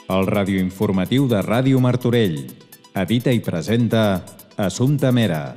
El radioinformatiu de Ràdio Martorell. Edita i presenta Assumpta Mera.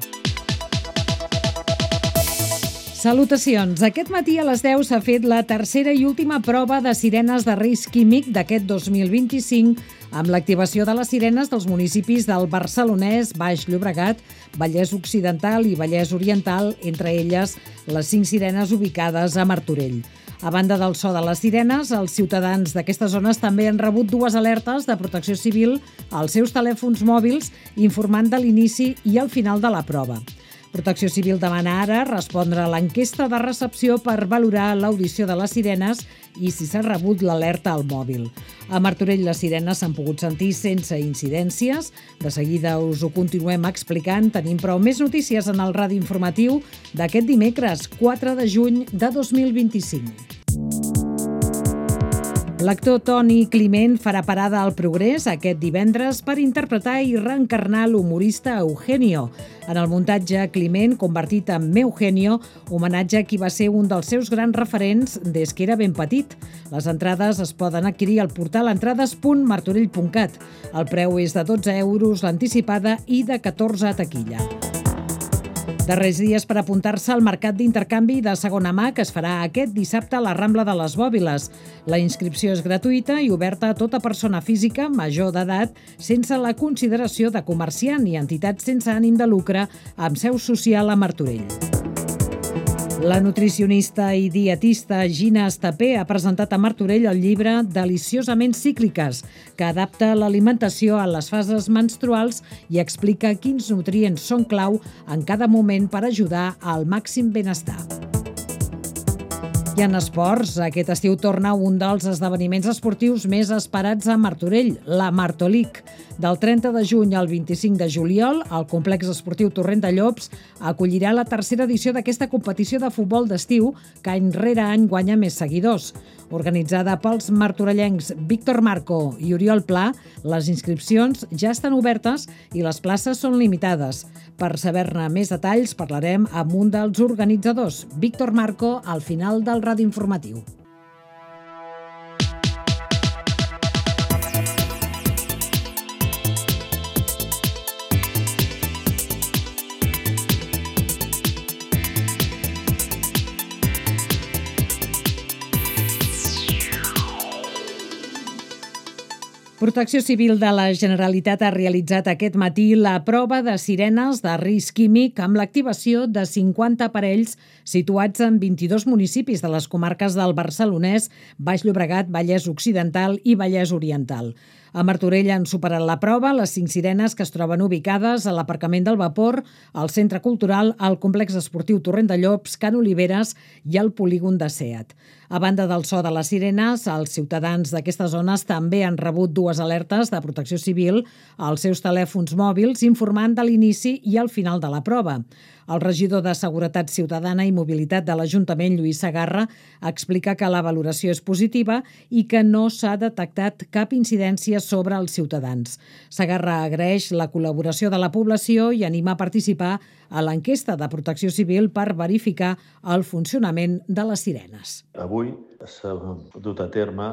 Salutacions. Aquest matí a les 10 s'ha fet la tercera i última prova de sirenes de risc químic d'aquest 2025 amb l'activació de les sirenes dels municipis del Barcelonès, Baix Llobregat, Vallès Occidental i Vallès Oriental, entre elles les 5 sirenes ubicades a Martorell. A banda del so de les sirenes, els ciutadans d'aquestes zones també han rebut 2 alertes de protecció civil als seus telèfons mòbils informant de l'inici i el final de la prova. Protecció Civil demana ara respondre a l'enquesta de recepció per valorar l'audició de les sirenes i si s'ha rebut l'alerta al mòbil. A Martorell les sirenes s'han pogut sentir sense incidències. De seguida us ho continuem explicant. Tenim però més notícies en el radi informatiu d'aquest dimecres, 4 de juny de 2025. L'actor Toni Climent farà parada al Progrés aquest divendres per interpretar i reencarnar l'humorista Eugenio. En el muntatge, Climent, convertit en Eugenio, homenatge a qui va ser un dels seus grans referents des que era ben petit. Les entrades es poden adquirir al portal entrades.martorell.cat. El preu és de 12 euros l'anticipada i de 14 a taquilla. Darrers dies per apuntar-se al mercat d'intercanvi de segona mà que es farà aquest dissabte a la Rambla de les Bòbiles. La inscripció és gratuïta i oberta a tota persona física major d'edat sense la consideració de comerciant i entitat sense ànim de lucre amb seu social a Martorell. La nutricionista i dietista Gina Estapé ha presentat a Martorell el llibre Deliciosament cícliques, que adapta l'alimentació a les fases menstruals i explica quins nutrients són clau en cada moment per ajudar al màxim benestar. I en esports, aquest estiu torna un dels esdeveniments esportius més esperats a Martorell, la Martolic. Del 30 de juny al 25 de juliol, el complex esportiu Torrent de Llops acollirà la tercera edició d'aquesta competició de futbol d'estiu que any rere any guanya més seguidors. Organitzada pels martorellencs Víctor Marco i Oriol Pla, les inscripcions ja estan obertes i les places són limitades. Per saber-ne més detalls parlarem amb un dels organitzadors, Víctor Marco, al final del radi informatiu. Protecció Civil de la Generalitat ha realitzat aquest matí la prova de sirenes de risc químic amb l'activació de 50 aparells situats en 22 municipis de les comarques del Barcelonès, Baix Llobregat, Vallès Occidental i Vallès Oriental. A Martorell han superat la prova les 5 sirenes que es troben ubicades a l'aparcament del Vapor, al Centre Cultural, al Complex Esportiu Torrent de Llops, Can Oliveres i al polígon de Seat. A banda del so de les sirenes, els ciutadans d'aquestes zones també han rebut 2 alertes de protecció civil als seus telèfons mòbils informant de l'inici i el final de la prova. El regidor de Seguretat Ciutadana i Mobilitat de l'Ajuntament, Lluís Segarra, explica que la valoració és positiva i que no s'ha detectat cap incidència sobre els ciutadans. Segarra agraeix la col·laboració de la població i anima a participar a l'enquesta de Protecció Civil per verificar el funcionament de les sirenes. Avui s'ha dut a terme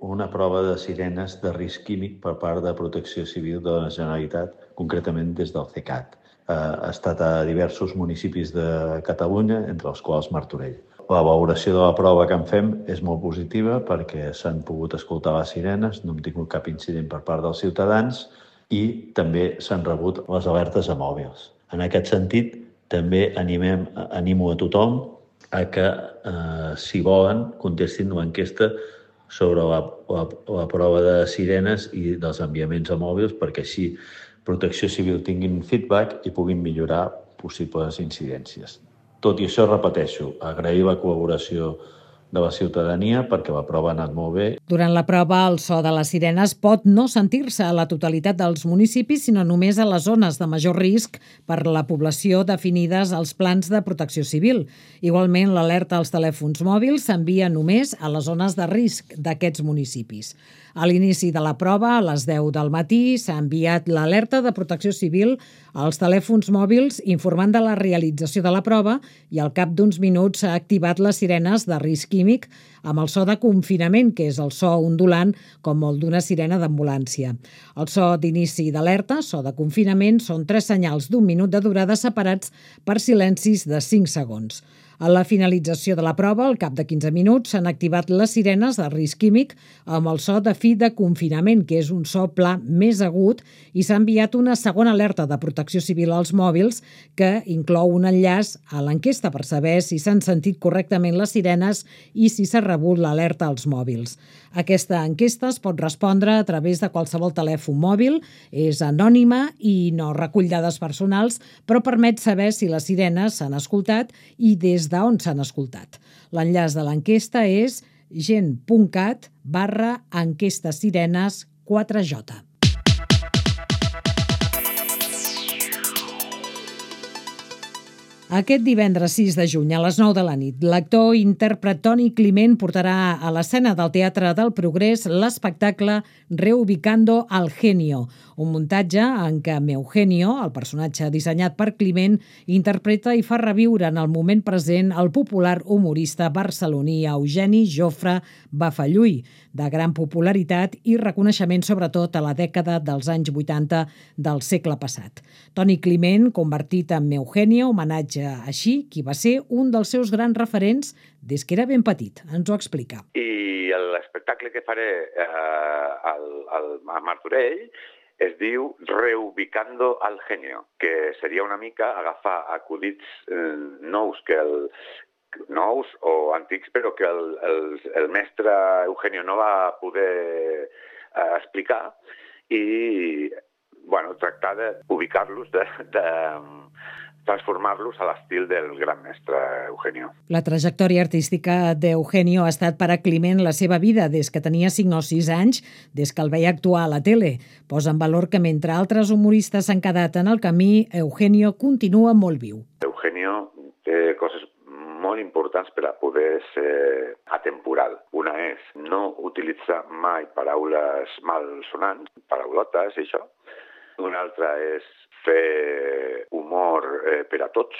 una prova de sirenes de risc químic per part de Protecció Civil de la Generalitat, concretament des del CECAT. Ha estat a diversos municipis de Catalunya, entre els quals Martorell. La valoració de la prova que en fem és molt positiva perquè s'han pogut escoltar les sirenes, no hem tingut cap incident per part dels ciutadans i també s'han rebut les alertes a mòbils. En aquest sentit, també animo a tothom a que, si volen, contestin l'enquesta sobre la prova de sirenes i dels enviaments a mòbils perquè així Protecció Civil tinguin feedback i puguin millorar possibles incidències. Tot i això, repeteixo, agrair la col·laboració de la ciutadania perquè la prova ha anat molt bé. Durant la prova, el so de les sirenes pot no sentir-se a la totalitat dels municipis, sinó només a les zones de major risc per la població definides als plans de protecció civil. Igualment, l'alerta als telèfons mòbils s'envia només a les zones de risc d'aquests municipis. A l'inici de la prova, a les 10 del matí, s'ha enviat l'alerta de protecció civil als telèfons mòbils informant de la realització de la prova i al cap d'uns minuts s'ha activat les sirenes de risc químic amb el so de confinament, que és el so ondulant com el d'una sirena d'ambulància. El so d'inici d'alerta, so de confinament, són 3 senyals d'1 minut de durada separats per silencis de 5 segons. A la finalització de la prova, al cap de 15 minuts, s'han activat les sirenes de risc químic amb el so de fi de confinament, que és un so pla més agut, i s'ha enviat una segona alerta de protecció civil als mòbils que inclou un enllaç a l'enquesta per saber si s'han sentit correctament les sirenes i si s'ha rebut l'alerta als mòbils. Aquesta enquesta es pot respondre a través de qualsevol telèfon mòbil, és anònima i no recull dades personals, però permet saber si les sirenes s'han escoltat i des d'on s'han escoltat. L'enllaç de l'enquesta és gent.cat/enquestasirenes 4J. Aquest divendres 6 de juny a les 9 de la nit, l'actor i intèrpret Toni Climent portarà a l'escena del Teatre del Progrés l'espectacle Reubicando al Genio, un muntatge en què Eugenio, el personatge dissenyat per Climent, interpreta i fa reviure en el moment present el popular humorista barceloní Eugeni Jofre Bafalluy, de gran popularitat i reconeixement sobretot a la dècada dels anys 80 del segle passat. Toni Climent, convertit en Eugenio, homenatge així qui va ser un dels seus grans referents des que era ben petit. Ens ho explica. I l'espectacle que faré a Martorell es diu Reubicando al Genio, que seria una mica agafar acudits nous o antics, però que el mestre Eugenio no va poder explicar i tractar d'ubicar-los, de transformar-los a l'estil del gran mestre Eugenio. La trajectòria artística d'Eugenio ha estat per a Climent la seva vida des que tenia 5 o 6 anys, des que el veia actuar a la tele. Posa en valor que mentre altres humoristes s'han quedat en el camí, Eugenio continua molt viu. Eugenio té coses molt importants per a poder ser atemporal. Una és no utilitzar mai paraules malsonants, paraulotes i això. Una altra és fer humor per a tots,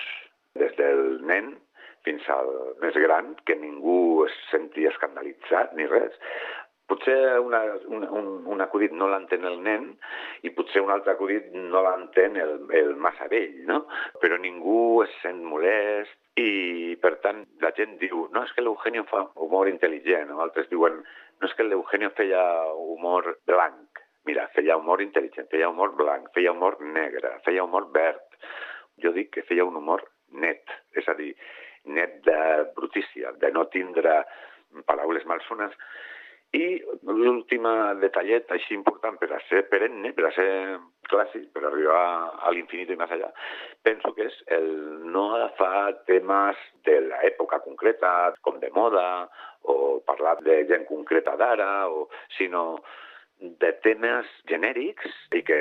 des del nen fins al més gran, que ningú es senti escandalitzat ni res. Potser un acudit no l'entén el nen i potser un altre acudit no l'entén el massa vell, no? Però ningú es sent molest i, per tant, la gent diu no, és que l'Eugenio fa humor intel·ligent, o altres diuen no, és que l'Eugenio feia humor blanc. Mira, feia humor intel·ligent, feia humor blanc, feia humor negre, feia humor verd. Jo dic que feia un humor net, és a dir, net de brutícia, de no tindre paraules malsones. I l'últim detallet així important per a ser perenne, per a ser clàssic, per arribar a l'infinit i més allà, penso que és el no agafar temes de l'època concreta, com de moda, o parlar de gent concreta d'ara, sinó de temes genèrics i que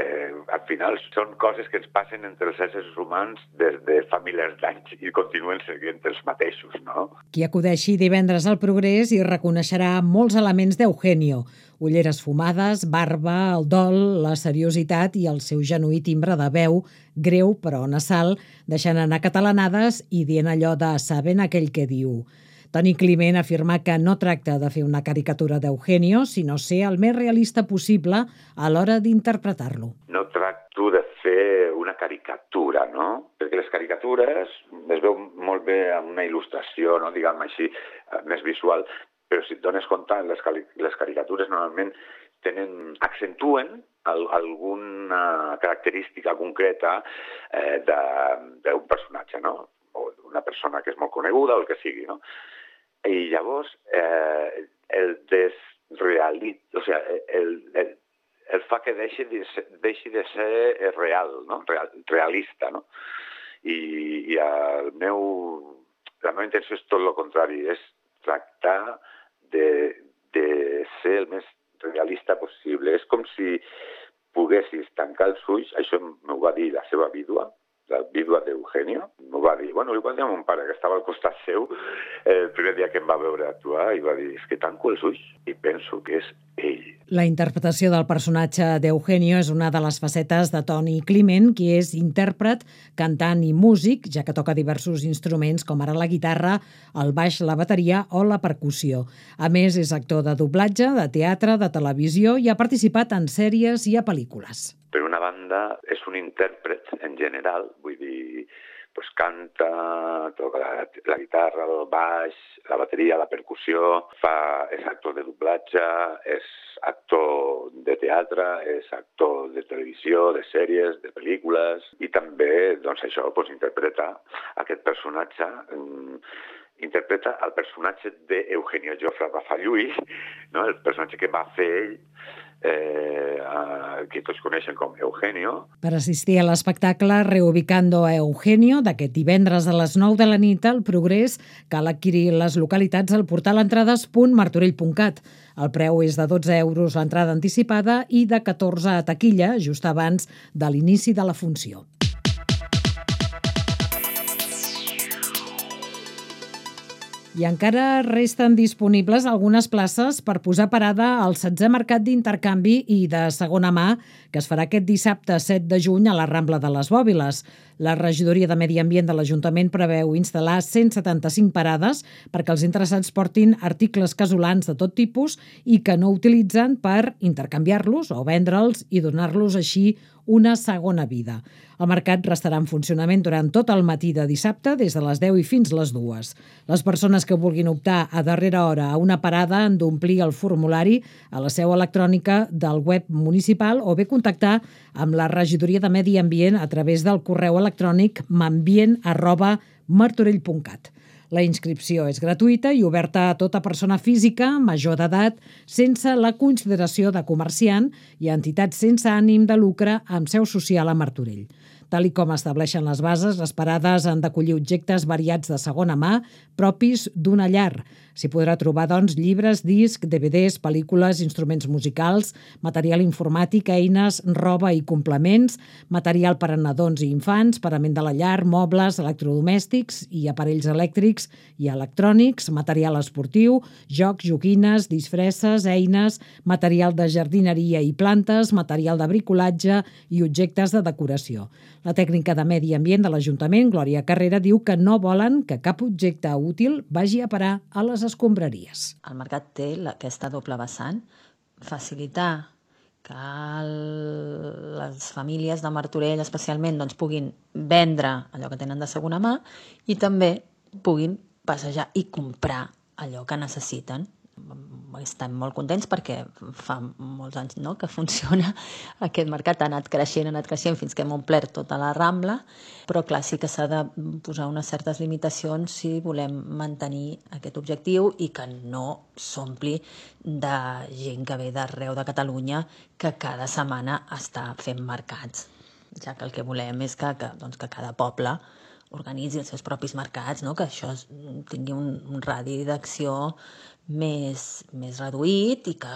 al final són coses que ens passen entre els éssers humans des de fa milers d'anys i continuen seguint els mateixos, no? Qui acudeixi divendres al Progrés hi reconeixerà molts elements d'Eugenio: ulleres fumades, barba, el dol, la seriositat i el seu genuí timbre de veu, greu però nasal, deixant anar catalanades i dient allò de «saben aquell que diu». Toni Climent afirma que no tracta de fer una caricatura d'Eugenio, sinó ser el més realista possible a l'hora d'interpretar-lo. No tracto de fer una caricatura, no? Perquè les caricatures es veu molt bé amb una il·lustració, no? Diguem així, més visual, però si et dones compte, les caricatures normalment accentuen alguna característica concreta d'un personatge, no? O d'una persona que és molt coneguda o el que sigui, no? I llavors el fa que deixi de ser real, no? Realista, no? I la meva intenció és tot el contrari, és tractar de ser el més realista possible. És com si poguessis tancar els ulls, això m'ho va dir la seva vídua, la vídua d'Eugenio, m'ho va dir, li va dir a mon pare, que estava al costat seu, el primer dia que em va veure actuar, i va dir, és que tanco els ulls i penso que és ell. La interpretació del personatge d'Eugenio és una de les facetes de Toni Climent, qui és intèrpret, cantant i músic, ja que toca diversos instruments com ara la guitarra, el baix, la bateria o la percussió. A més, és actor de doblatge, de teatre, de televisió i ha participat en sèries i a pel·lícules. Per una banda, és un intèrpret en general, vull dir, canta, toca la guitarra, el baix, la bateria, la percussió, és actor de doblatge, és actor de teatre, és actor de televisió, de sèries, de pel·lícules, i també, doncs això, interpreta aquest personatge, interpreta el personatge d'Eugenio Jofre Bafalluy, no? El personatge que va fer ell, que tots coneixen com Eugenio. Per assistir a l'espectacle Reubicando a Eugenio, d'aquest divendres a les 9 de la nit al Progrés, cal adquirir les localitats al portal entrades.martorell.cat. El preu és de 12 euros l'entrada anticipada i de 14 a taquilla, just abans de l'inici de la funció. I encara resten disponibles algunes places per posar parada al 16è Mercat d'Intercanvi i de Segona Mà, que es farà aquest dissabte 7 de juny a la Rambla de les Bòbiles. La Regidoria de Medi Ambient de l'Ajuntament preveu instal·lar 175 parades perquè els interessats portin articles casolans de tot tipus i que no utilitzen per intercanviar-los o vendre'ls i donar-los així una segona vida. El mercat restarà en funcionament durant tot el matí de dissabte, des de les 10 i fins les 2. Les persones que vulguin optar a darrera hora a una parada han d'omplir el formulari a la seu electrònica del web municipal o bé contactar amb la Regidoria de Medi Ambient a través del correu electrònic mambient@martorell.cat. La inscripció és gratuïta i oberta a tota persona física major d'edat sense la consideració de comerciant i a entitats sense ànim de lucre amb seu social a Martorell. Tal i com estableixen les bases, les parades han d'acollir objectes variats de segona mà propis d'una llar. S'hi podrà trobar, doncs, llibres, discs, DVDs, pel·lícules, instruments musicals, material informàtic, eines, roba i complements, material per a nadons i infants, parament de la llar, mobles, electrodomèstics i aparells elèctrics i electrònics, material esportiu, jocs, joguines, disfresses, eines, material de jardineria i plantes, material de bricolatge i objectes de decoració. La tècnica de Medi Ambient de l'Ajuntament, Glòria Carrera, diu que no volen que cap objecte útil vagi a parar a les escombraries. El mercat té aquesta doble vessant, facilitar que les famílies de Martorell especialment puguin vendre allò que tenen de segona mà i també puguin passejar i comprar allò que necessiten. Estem molt contents perquè fa molts anys que funciona aquest mercat, ha anat creixent fins que hem omplert tota la Rambla, però clar, sí que s'ha de posar unes certes limitacions si volem mantenir aquest objectiu i que no s'ompli de gent que ve d'arreu de Catalunya que cada setmana està fent mercats, ja que el que volem és que cada poble organitzi els seus propis mercats, que això tingui un radi d'acció més reduït i que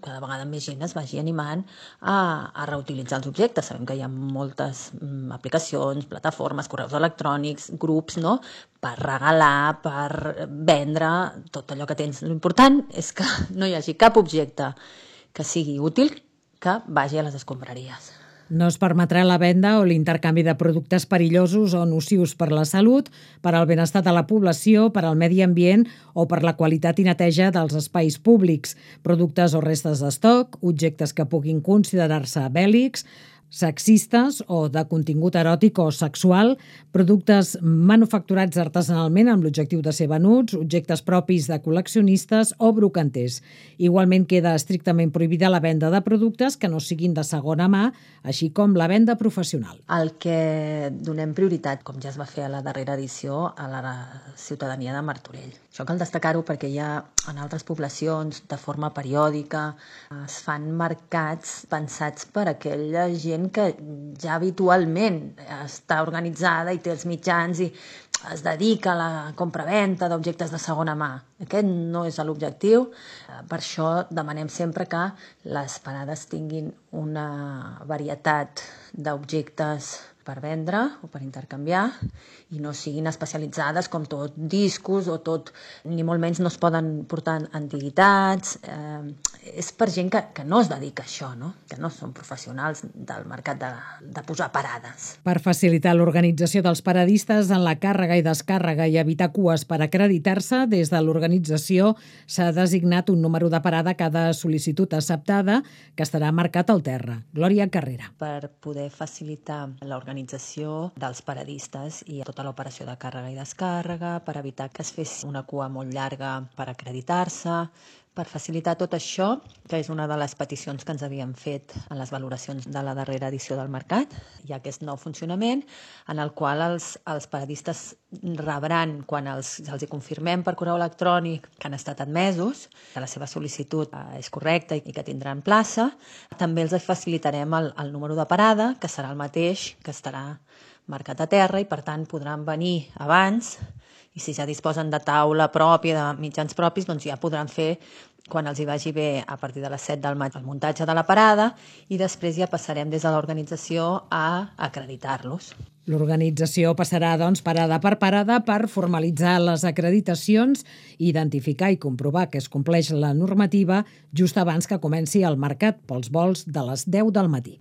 cada vegada més gent es vagi animant a reutilitzar els objectes. Sabem que hi ha moltes aplicacions, plataformes, correus electrònics, grups, per regalar, per vendre tot allò que tens. L'important és que no hi hagi cap objecte que sigui útil que vagi a les escombraries. No es permetrà la venda o l'intercanvi de productes perillosos o nocius per la salut, per al benestar de la població, per al medi ambient o per la qualitat i neteja dels espais públics, productes o restes d'estoc, objectes que puguin considerar-se bèl·lics, sexistes o de contingut eròtic o sexual, productes manufacturats artesanalment amb l'objectiu de ser venuts, objectes propis de col·leccionistes o brocanters. Igualment queda estrictament prohibida la venda de productes que no siguin de segona mà, així com la venda professional. El que donem prioritat, com ja es va fer a la darrera edició, a la ciutadania de Martorell. Això cal destacar-ho perquè ja en altres poblacions, de forma periòdica, es fan mercats pensats per aquella gent que ja habitualment està organitzada i té els mitjans i es dedica a la compra-venta d'objectes de segona mà. Aquest no és l'objectiu. Per això demanem sempre que les parades tinguin una varietat d'objectes per vendre o per intercanviar i no siguin especialitzades com tot discos o tot, ni molt menys no es poden portar antiguitats. És per gent que no es dedica a això, no? Que no són professionals del mercat de posar parades. Per facilitar l'organització dels paradistes en la càrrega i descàrrega i evitar cues per acreditar-se, des de l'organització s'ha designat un número de parada a cada sol·licitud acceptada que estarà marcat al terra. Glòria Carrera. Per poder facilitar l'organització dels paradistes i tota l'operació de càrrega i descàrrega, per evitar que es fes una cua molt llarga per acreditar-se, per facilitar tot això, que és una de les peticions que ens havien fet en les valoracions de la darrera edició del mercat. Hi ha aquest nou funcionament en el qual els paradistes rebran, quan els hi confirmem per correu electrònic que han estat admesos, que la seva sol·licitud és correcta i que tindran plaça, també els facilitarem el número de parada, que serà el mateix, que estarà marcat a terra i per tant podran venir abans i si ja disposen de taula pròpia, de mitjans propis, doncs ja podran fer, quan els hi vagi bé, a partir de les 7 del matí, el muntatge de la parada i després ja passarem des de l'organització a acreditar-los. L'organització passarà, doncs, parada per parada per formalitzar les acreditacions, identificar i comprovar que es compleix la normativa just abans que comenci el mercat pels vols de les 10 del matí.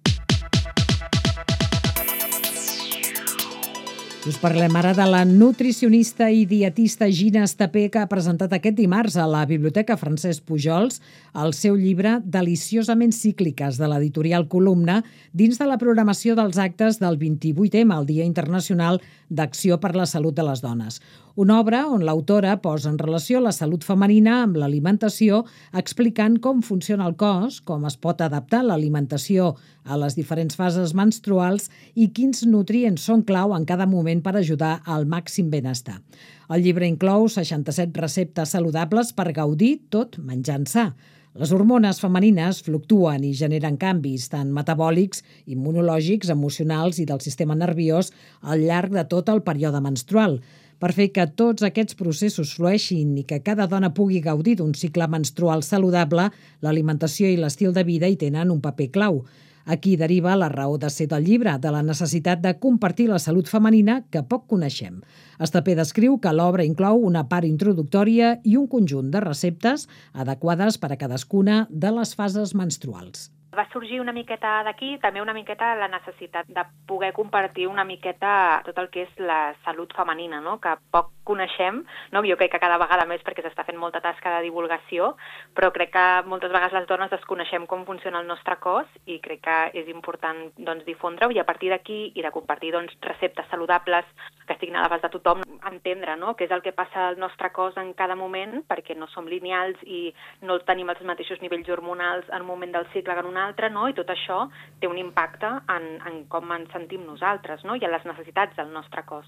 Us parlem ara de la nutricionista i dietista Gina Estapé, que ha presentat aquest dimarts a la Biblioteca Francesc Pujols el seu llibre Deliciosament cícliques, de l'editorial Columna, dins de la programació dels actes del 28è, el Dia Internacional d'Acció per la Salut de les Dones. Una obra on l'autora posa en relació la salut femenina amb l'alimentació, explicant com funciona el cos, com es pot adaptar l'alimentació a les diferents fases menstruals i quins nutrients són clau en cada moment per ajudar al màxim benestar. El llibre inclou 67 receptes saludables per gaudir tot menjant sa. Les hormones femenines fluctuen i generen canvis tant metabòlics, immunològics, emocionals i del sistema nerviós al llarg de tot el període menstrual. Per fer que tots aquests processos flueixin i que cada dona pugui gaudir d'un cicle menstrual saludable, l'alimentació i l'estil de vida hi tenen un paper clau. Aquí deriva la raó de ser del llibre, de la necessitat de compartir la salut femenina que poc coneixem. Estapé descriu que l'obra inclou una part introductòria i un conjunt de receptes adequades per a cadascuna de les fases menstruals. Va sorgir una miqueta d'aquí, també una miqueta la necessitat de poder compartir una miqueta tot el que és la salut femenina, no? Que poc coneixem, no? Jo crec que cada vegada més perquè s'està fent molta tasca de divulgació, però crec que moltes vegades les dones desconeixem com funciona el nostre cos i crec que és important difondre-ho i a partir d'aquí i de compartir receptes saludables que estiguin a l'abast de tothom, entendre què és el que passa al nostre cos en cada moment, perquè no som lineals i no tenim els mateixos nivells hormonals en un moment del cicle que en un altre, i tot això té un impacte en com ens sentim nosaltres, i en les necessitats del nostre cos.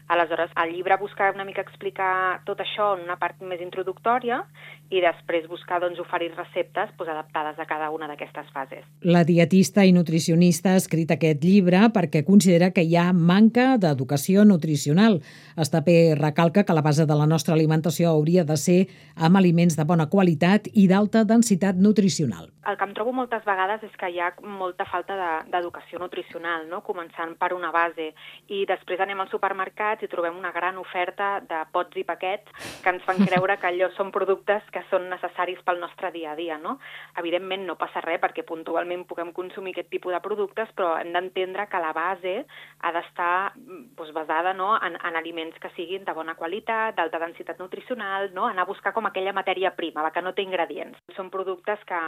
Aleshores, el llibre busca una mica explicar tot això en una part més introductòria i després buscar oferir receptes adaptades a cada una d'aquestes fases. La dietista i nutricionista ha escrit aquest llibre perquè considera que hi ha manca d'educació nutricional. Estapé recalca que la base de la nostra alimentació hauria de ser amb aliments de bona qualitat i d'alta densitat nutricional. El que em trobo moltes vegades és que hi ha molta falta d'educació nutricional, començant per una base, i després anem als supermercats i trobem una gran oferta de pots i paquets que ens fan creure que allò són productes que són necessaris pel nostre dia a dia. Evidentment no passa res perquè puntualment puguem consumir aquest tipus de productes, però hem d'entendre que la base ha d'estar basada en aliments que siguin de bona qualitat, d'alta densitat nutricional, anar a buscar com aquella matèria prima, la que no té ingredients. Són productes que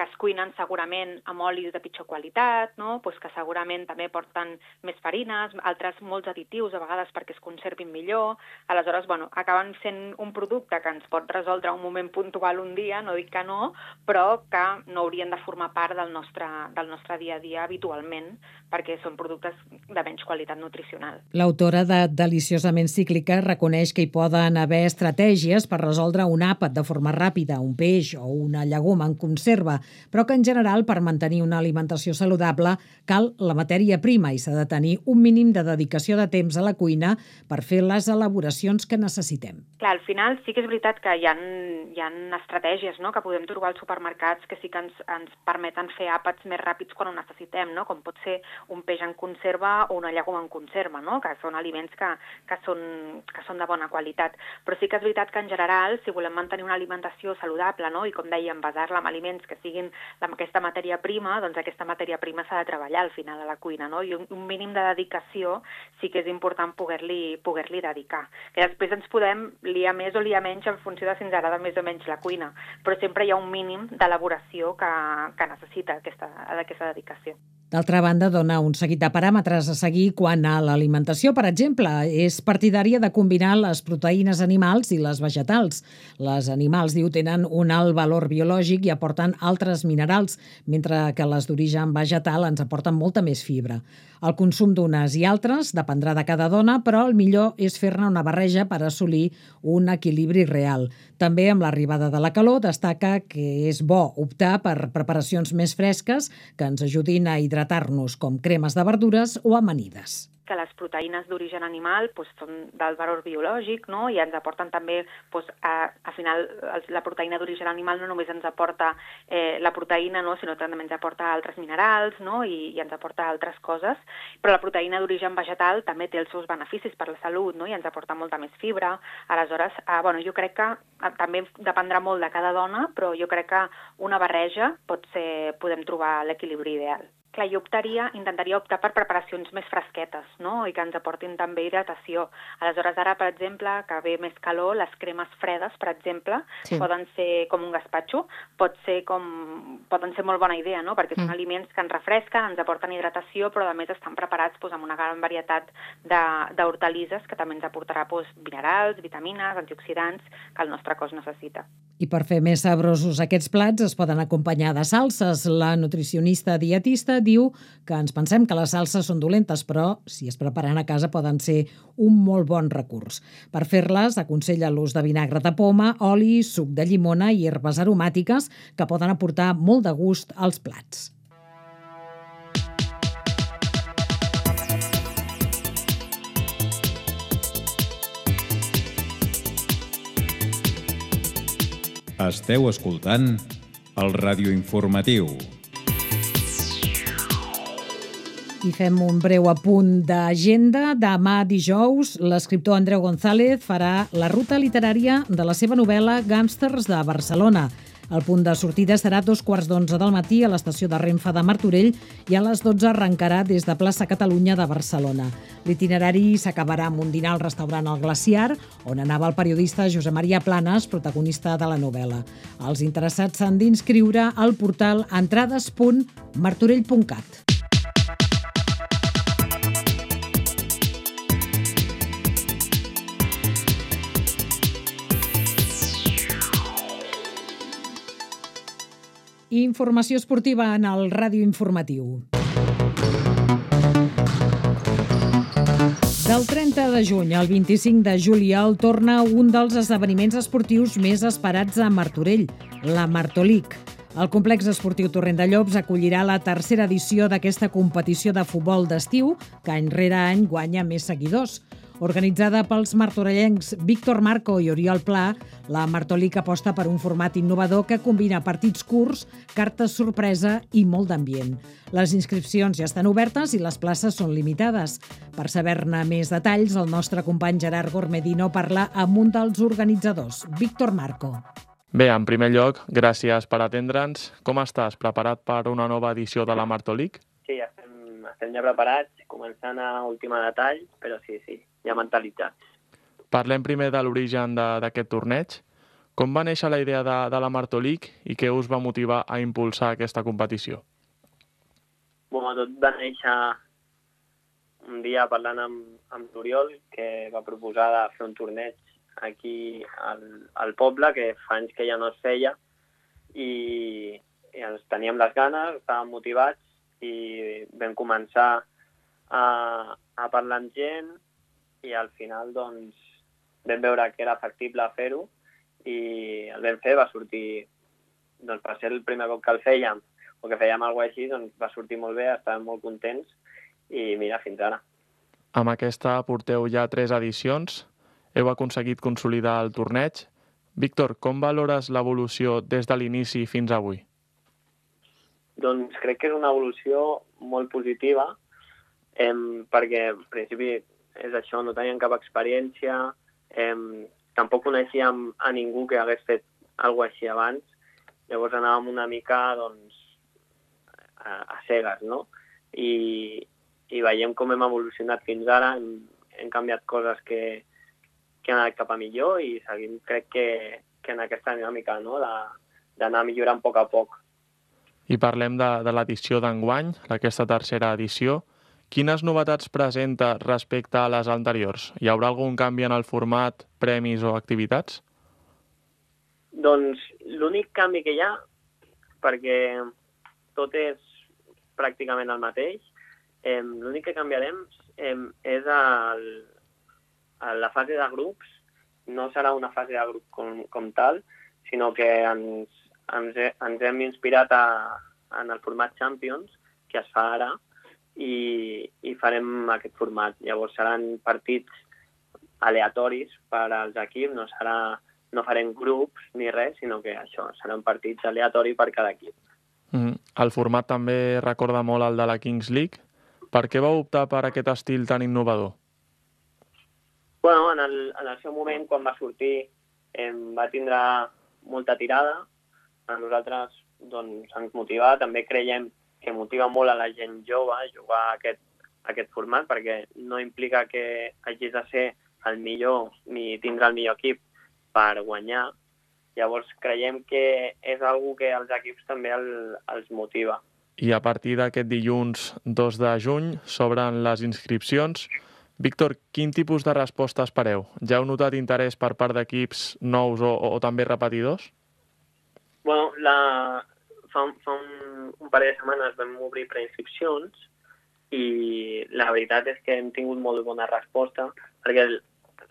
es cuinen segurament amb olis de pitjor qualitat, que segurament també porten més farines, altres molts additius a vegades perquè es conservin millor. Aleshores, acaben sent un producte que ens pot resoldre un moment puntual un dia, no dic que no, però que no haurien de formar part del nostre dia a dia habitualment, perquè són productes de menys qualitat nutricional. L'autora de Deliciosament cíclica reconeix que hi poden haver estratègies per resoldre un àpat de forma ràpida, un peix o una llegum en conserva, però que en general per mantenir una alimentació saludable cal la matèria prima i s'ha de tenir un mínim de dedicació de temps a la cuina per fer les elaboracions que necessitem. Clar, al final sí que és veritat que hi ha estratègies, no?, que podem trobar als supermercats que sí que ens permeten fer àpats més ràpids quan ho necessitem, no?, com pot ser un peix en conserva o una llegum en conserva, no?, que són aliments que són de bona qualitat. Però sí que és veritat que en general, si volem mantenir una alimentació saludable, no?, i com dèiem, basar-la en aliments que siguin aquesta matèria prima, doncs aquesta matèria prima s'ha de treballar al final a la cuina, no?, i un mínim de dedicació sí que és important poder-li dedicar. Que després ens podem liar més o liar menys en funció de si ens agrada més o menys la cuina, però sempre hi ha un mínim d'elaboració que necessita aquesta dedicació. D'altra banda, dona un seguit de paràmetres a seguir quant a l'alimentació. Per exemple, és partidària de combinar les proteïnes animals i les vegetals. Les animals, diu, tenen un alt valor biològic i aporten altres minerals, mentre que les d'origen vegetal ens aporten molta més fibra. El consum d'unes i altres dependrà de cada dona, però el millor és fer-ne una barreja per assolir un equilibri real. També amb l'arribada de la calor destaca que és bo optar per preparacions més fresques que ens ajudin a hidratar-nos, com cremes de verdures o amanides. Que les proteïnes d'origen animal són del valor biològic, no?, i ens aporten també, al final, la proteïna d'origen animal no només ens aporta la proteïna, no?, sinó també ens aporta altres minerals, no?, i ens aporta altres coses, però la proteïna d'origen vegetal també té els seus beneficis per la salut, no?, i ens aporta molta més fibra. Aleshores, jo crec que també dependrà molt de cada dona, però jo crec que una barreja podem trobar l'equilibri ideal. Clar, jo intentaria optar per preparacions més fresquetes, no?, i que ens aportin també hidratació. Aleshores, ara, per exemple, que ve més calor, les cremes fredes, per exemple, poden ser com un gaspatxo, poden ser molt bona idea, no?, perquè són aliments que ens refresquen, ens aporten hidratació, però a més estan preparats amb una gran varietat d'hortalisses que també ens aportarà minerals, vitamines, antioxidants que el nostre cos necessita. I per fer més sabrosos aquests plats es poden acompanyar de salses. La nutricionista dietista diu que ens pensem que les salses són dolentes, però si es preparen a casa poden ser un molt bon recurs. Per fer-les aconsella l'ús de vinagre de poma, oli, suc de llimona i herbes aromàtiques que poden aportar molt de gust als plats. Esteu escoltant el radioinformatiu. I fem un breu apunt d'agenda. Demà dijous, l'escriptor Andreu González farà la ruta literària de la seva novel·la Gàngsters de Barcelona. El punt de sortida serà a 2:15 del matí a l'estació de Renfe de Martorell i a les 12 arrencarà des de Plaça Catalunya de Barcelona. L'itinerari s'acabarà amb un dinar al restaurant El Glaciar, on anava el periodista Josep Maria Planes, protagonista de la novel·la. Els interessats s'han d'inscriure al portal entrades.martorell.cat. Informació esportiva en el Ràdio Informatiu. Del 30 de juny al 25 de juliol torna un dels esdeveniments esportius més esperats a Martorell, la Martolic. El complex esportiu Torrent de Llops acollirà la tercera edició d'aquesta competició de futbol d'estiu, que any rere any guanya més seguidors. Organitzada pels martorellencs Víctor Marco i Oriol Pla, la Martolic aposta per un format innovador que combina partits curts, cartes sorpresa i molt d'ambient. Les inscripcions ja estan obertes i les places són limitades. Per saber-ne més detalls, el nostre company Gerard Gormedino parla amb un dels organitzadors, Víctor Marco. Bé, en primer lloc, gràcies per atendre'ns. Com estàs? Preparat per una nova edició de la Martolic? Sí, estem ja preparats, començant a última detall, però sí, ja mentalitzats. Parlem primer de l'origen d'aquest torneig. Com va néixer la idea de la Martolic i què us va motivar a impulsar aquesta competició? Tot va néixer un dia parlant amb l'Oriol, que va proposar de fer un torneig aquí al poble, que fa anys que ja no es feia, i ens teníem les ganes, estàvem motivats, i vam començar a parlar amb gent i al final vam veure que era factible fer-ho i el vam fer, va sortir doncs per ser el primer cop que el fèiem, o que fèiem alguna cosa així, doncs va sortir molt bé, estàvem molt contents, i mira, fins ara. Amb aquesta porteu ja 3 edicions, heu aconseguit consolidar el torneig. Víctor, com valores l'evolució des de l'inici fins avui? Doncs crec que és una evolució molt positiva, perquè en principi és això, no teníem cap experiència, tampoc coneixíem a ningú que hagués fet alguna cosa així abans, llavors anàvem una mica doncs, a cegues, no? I veiem com hem evolucionat fins ara, hem canviat coses que han anat cap a millor i seguim, crec que en aquesta dinàmica, no? D'anar millorant a poc. I parlem de l'edició d'enguany, aquesta tercera edició. Quines novetats presenta respecte a les anteriors? Hi haurà algun canvi en el format, premis o activitats? Doncs l'únic canvi que hi ha, perquè tot és pràcticament el mateix, l'únic que canviarem és la fase de grups. No serà una fase de grup com tal, sinó que ens hem inspirat en el format Champions, que es fa ara, i farem aquest format. Llavors seran partits aleatoris per als equips, no farem grups ni res, sinó que això, seran partits aleatoris per cada equip. El format també recorda molt el de la Kings League. Per què vau optar per aquest estil tan innovador? Bueno, en el seu moment, quan va sortir, va tindre molta tirada. A nosaltres doncs, ens motiva. També creiem que motiva molt a la gent jove jugar a aquest format, perquè no implica que hagis de ser el millor ni tindre el millor equip per guanyar. Llavors creiem que és una que als equips també els motiva. I a partir d'aquest dilluns 2 de juny s'obren les inscripcions. Víctor, quin tipus de resposta espereu? Ja heu notat interès per part d'equips nous o també repetidors? Bueno, fa un parell de setmanes vam obrir preinscripcions i la veritat és que hem tingut molt bona resposta, perquè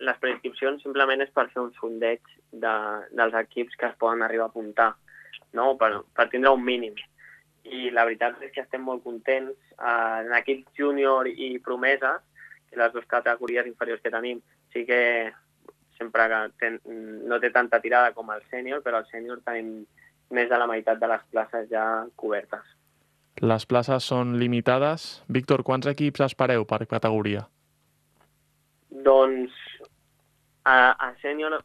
les preinscripcions simplement és per fer un sondeig dels equips que es poden arribar a apuntar, no? per tindre un mínim. I la veritat és que estem molt contents. En equips júnior i promeses, que les dues categories inferiors que tenim, sí que sempre no té tanta tirada com el sènior, però al sènior tenim més de la meitat de les places ja cobertes. Les places són limitades. Víctor, quants equips espereu per categoria? Doncs a sènior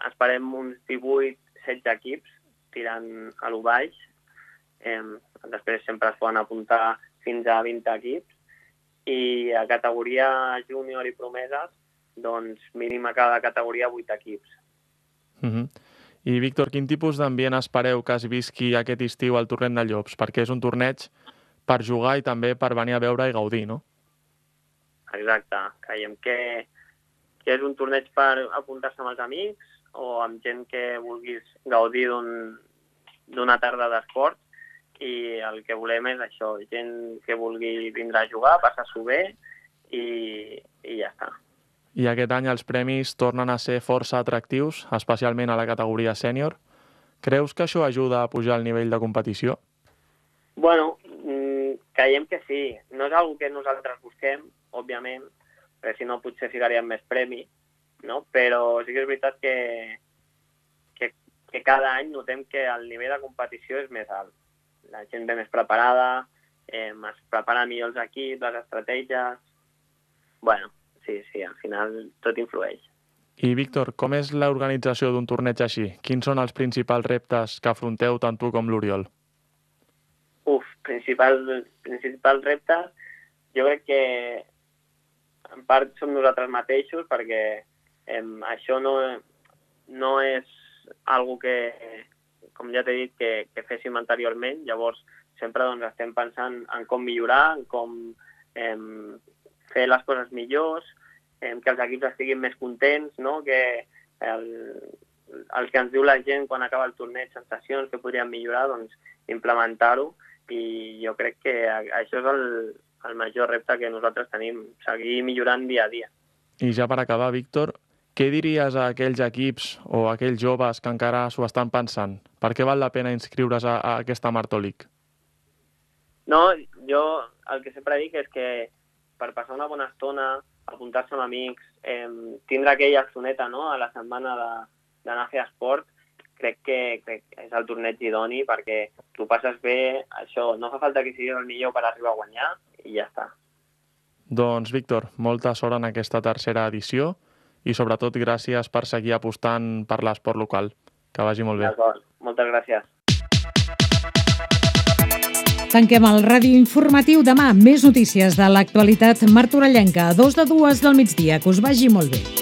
esperem uns 18-16 equips tirant a lo baix. Després sempre es poden apuntar fins a 20 equips. I a categoria júnior i promeses, doncs mínim a cada categoria 8 equips. I Víctor, quin tipus d'ambient espereu que es visqui aquest estiu al Torrent de Llops? Perquè és un torneig per jugar i també per venir a veure i gaudir, no? Exacte. Creiem que és un torneig per apuntar-se amb els amics o amb gent que vulguis gaudir d'una tarda d'esport, i el que volem és això, gent que vulgui vindre a jugar, passar-s'ho bé i ja està. I aquest any els premis tornen a ser força atractius, especialment a la categoria sènior. Creus que això ajuda a pujar el nivell de competició? Bueno, creiem que sí. No és una que nosaltres busquem, òbviament, perquè si no potser ficaríem més premi, no? Però sí que és veritat que cada any notem que el nivell de competició és més alt. La gent ve més preparada, es preparen millor els equips, les estratègies. Bueno, sí, al final tot influeix. I Víctor, com és l'organització d'un torneig així? Quins són els principals reptes que afronteu tant tu com l'Oriol? Principals reptes, jo crec que en part som nosaltres mateixos, perquè això no és algo que, com ja t'he dit, que féssim anteriorment. Llavors sempre estem pensant en com millorar, en com fer les coses millors, que els equips estiguin més contents, no? Que el que ens diu la gent quan acaba el torneig, sensacions que podríem millorar, doncs implementar-ho, i jo crec que això és el major repte que nosaltres tenim, seguir millorant dia a dia. I ja per acabar, Víctor, què diries a aquells equips o a aquells joves que encara s'ho estan pensant? Per què val la pena inscriure's a aquesta Martolic? No, jo el que sempre dic és que per passar una bona estona, apuntar-se amb amics, tindre aquella estoneta, no?, a la setmana d'anar a fer esport, crec que és el torneig idoni perquè tu passes bé, això, no fa falta que siguis el millor per arribar a guanyar i ja està. Doncs, Víctor, molta sort en aquesta tercera edició i sobretot gràcies per seguir apostant per l'esport local. Que vagi molt bé. D'acord, moltes gràcies. Tanquem el ràdio informatiu demà. Més notícies de l'actualitat martorellenca a 2 del migdia. Que us vagi molt bé.